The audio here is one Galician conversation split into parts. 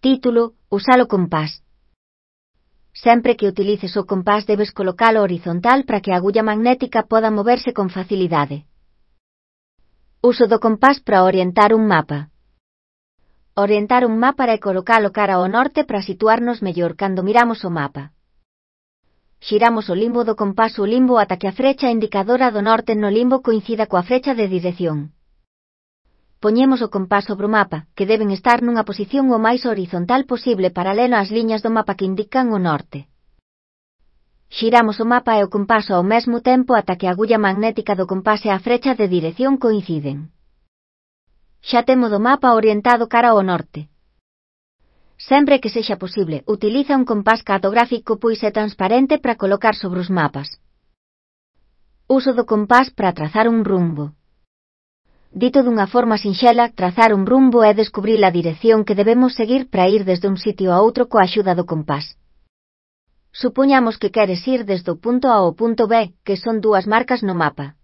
Título: Usar o compás. Sempre que utilices o compás debes colocalo horizontal para que a agulla magnética poda moverse con facilidade. Uso do compás para orientar un mapa. Orientar un mapa é colocalo cara ao norte para situarnos mellor cando miramos o mapa. Xiramos o limbo do compás o limbo ata que a frecha indicadora do norte no limbo coincida coa frecha de dirección. Poñemos o compás sobre o mapa, que deben estar nunha posición o máis horizontal posible paralelo ás liñas do mapa que indican o norte. Xiramos o mapa e o compás ao mesmo tempo ata que a agulla magnética do compás e a frecha de dirección coinciden. Xa temos o mapa orientado cara ao norte. Sempre que sexa posible, utiliza un compás cartográfico pois é transparente para colocar sobre os mapas. Uso do compás para trazar un rumbo. Dito dunha forma sinxela, trazar un rumbo é descubrir a dirección que debemos seguir para ir desde un sitio a outro coa axuda do compás. Supoñamos que queres ir desde o punto A ao punto B, que son dúas marcas no mapa.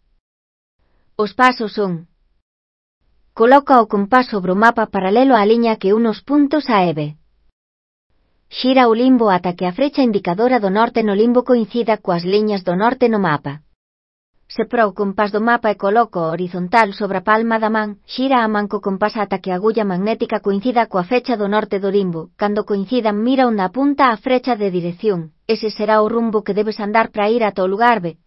Os pasos son: coloca o compás sobre o mapa paralelo á liña que une os puntos A e B. Xira o limbo ata que a frecha indicadora do norte no limbo coincida coas liñas do norte no mapa. Separa o compás do mapa e coloca o horizontal sobre a palma da man, xira a man co compás ata que a agulla magnética coincida coa fecha do norte do limbo. Cando coincidan, mira onde apunta a frecha de dirección, ese será o rumbo que debes andar para ir ata o lugar B.